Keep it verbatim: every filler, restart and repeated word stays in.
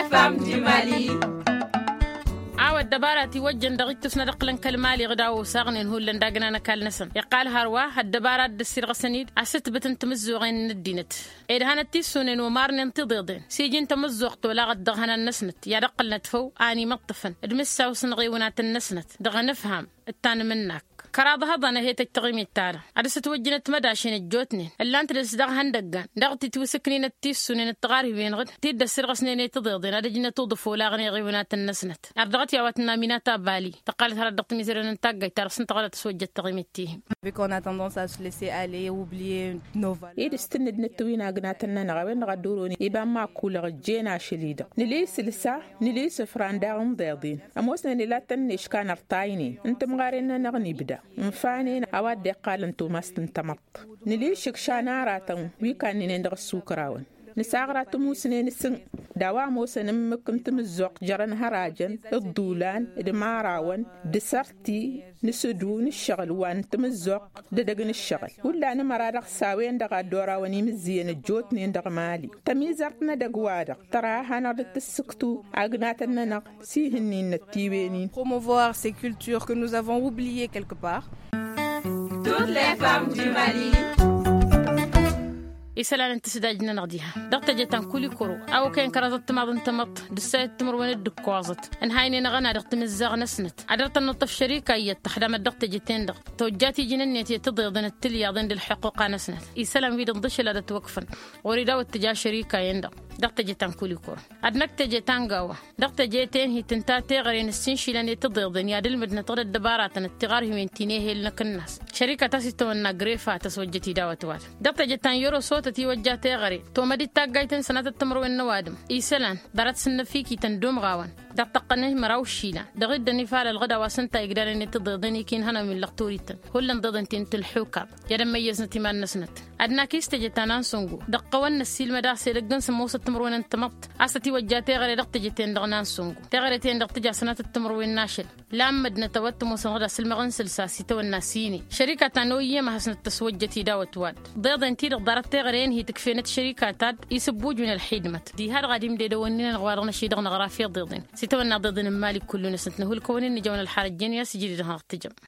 Fam di mali. A-wa ăddăbara tiwăjjăn dăɣ-ittus n-ad-ǝqqǝlăn kăl-mali ɣǝd a-wa osaɣnen hullan d-agna n-ăkall-năsăn iqqal hărwa ăddăbara a dd-ăssirɣăsăn-dd asǝtbǝt n-timǝzzuɣen n-ăddinăt. Ed hanăt-tissunen omarnen tiḍeḍen s-iji n-tamǝzzuɣt olaɣăt dăɣ-ihănan-năsnăt i-ad-ǝqqǝlnăt făw a ănimăṭṭăfăn d-mǝssaw s-inɣiwǝnatăn-năsnăt dăɣ-enǝfham d-tanmǝnnak. Kăraḍ hăḍăn ehăyăt ăjj taɣimit-ta-dăɣ ad-dăr-s ătwăjjǝnăt mădašen ăjjootnen ǝllan-t dăr-s dăɣ-ihăndăggan dăɣ-titwǝsǝknin d-tissunen d-tiɣarhiwen ɣǝd ti dd-ăssirɣăsnen i-tiḍeḍen ad-ăjnăt uḍǝf olaɣăn iɣiwǝnatăn-năsnăt. Ar dăɣ-t i-a-wa tǝnna aminata bali tăqqalăt hărăt dăɣ-timiserewen n-taggajt ta dăɣ-s ǝnta ɣăr ad-tăswăjjăt taɣimit-ti-hi. Avec on a tendance à se laisser aller oublier nos valeurs. Ed s-tǝnnǝd nǝttǝwin agnatăn-nănăɣ a-wen-dăɣ a dd-oron iba n-imakkulăɣ ǝjjen ašăl-i-dăɣ nǝla isǝlsa nǝla isǝfra n-daɣ n-iḍeḍen. Ămoosnen ila tăn-neška n-ărtaynen n-timɣaren-nănăɣ n-ibda ǝnfanen a-wa dd-iqqalăn tumast n-tamăḍt. Nǝla išǝkša n-aratăn wi kannǝynen dăɣ-ăssukrawăn nǝsaɣra timusnen s-ǝnn d-a-wa ămoosăn ǝmmǝk n-timǝzzuɣt jărăn hărajăn d-iḍulan d-imarawăn d-isărti n-isǝdu n-ǝššăɣǝl wa n-timǝzzuɣt d-edăgg n-ǝššăɣǝl. Hullan ǝmăra-dăɣ s-a-wen-dăɣ a dd-orawăn imǝzzǝyăn ăjjootnen dăɣ-mali tămizărt n-edăgg-wa-dăɣ tăra ad-hanăɣ-dd-tǝssǝktu agnatăn-nănăɣ s-ihǝnnin n-ăttiwen-in. Promouvoir ces cultures que nous avons oubliées quelque part. Toutes les femmes du mali. Isălan n-tǝsdaj-nănăɣ diha dăɣ-teje ta n-kulikoro a okăyăn kăraḍăt timaḍ n-tamăḍt d-ǝssayăt timǝrwen d-ǝkkoẓăt ǝnhaynen aɣăna dăɣ-timǝzzaɣ-năsnăt ad-dăr-tănnăḍtăf šărika iyyăt tăxdamăt dăɣ-teje-ten-dăɣ tojjat iji n-ǝnniyăt i-tiḍeḍen d-tilyaḍen d-ălḥuqquqa-năsnăt. Isălan wi-dăɣ d-ašăl ad-ătwăkfăn ɣur-i daw-dd tǝja šărika-en-dăɣ dăɣ-teje ta n-kulikoro ad-năkk teje ta n-gawa. Dăɣ-teje tenhit ǝnta teɣăre n-ǝssinšilăn i-tiḍeḍen i-ad-ǝlmǝdnăt ɣǝd-ăddăbaratăn d-tiɣarhiwen ti n-ehel n-akǝnnas šărikat a-s itawănna grefa tăswăjjăt-i daw-ătwad. Dăɣ-teje ta n-yăroso tătiwăjja teɣăre tomăd-dd taggayt n-sănatăt timǝrwen n-ăwadǝm isălan ḍarăt s-ǝnnăfikităn d-umɣawăn dăɣ-tăqqăn i-măraw išilan dăɣ-dd-ănifal ălɣǝd a-wa s-ǝnta igdalăn i-tiḍeḍen ikinhănăn wi n-lăxturităn hullan ḍeḍăn ti n-tǝlḥuka i-ad-ămmăyyăznăt iman-năsnăt. Ad-nak i-s teje ta n-ansǝngu dăɣ-tawănna ăssiilmăd a-s edăgg n-sǝmmosăt timǝrwen n-tamăḍt a-s tătiwăjja teɣăre dăɣ-teje-ten-dăɣ n-ansǝngu teɣăre-ten-dăɣ tǝja sănatăt timǝrwen n-ašăl. Lammădnăt a-wa t-ămoosăn ɣǝd asǝlmăɣ n-sǝlsa s-itawănna s-ine šărika ta n-oyyăm a hasnăt-tăswăjjăt i-dawăt wa-dd ḍeḍen-ti-dăɣ ḍarăt teɣăre-enhi tǝkfenăt šărika ta dd-isǝbbuj wi n-ălxidmăt diha-dăɣ ad-imded ăwănninăn ɣur-wa-dăɣ năšidăɣ năɣraf iḍeḍen. S-itawănna ḍeḍen n-imali kullu-năsnăt nǝhulkăwăn-in nǝjăwăn ălxarăjjen i-asǝjri-dăɣ năɣ-tǝjăm.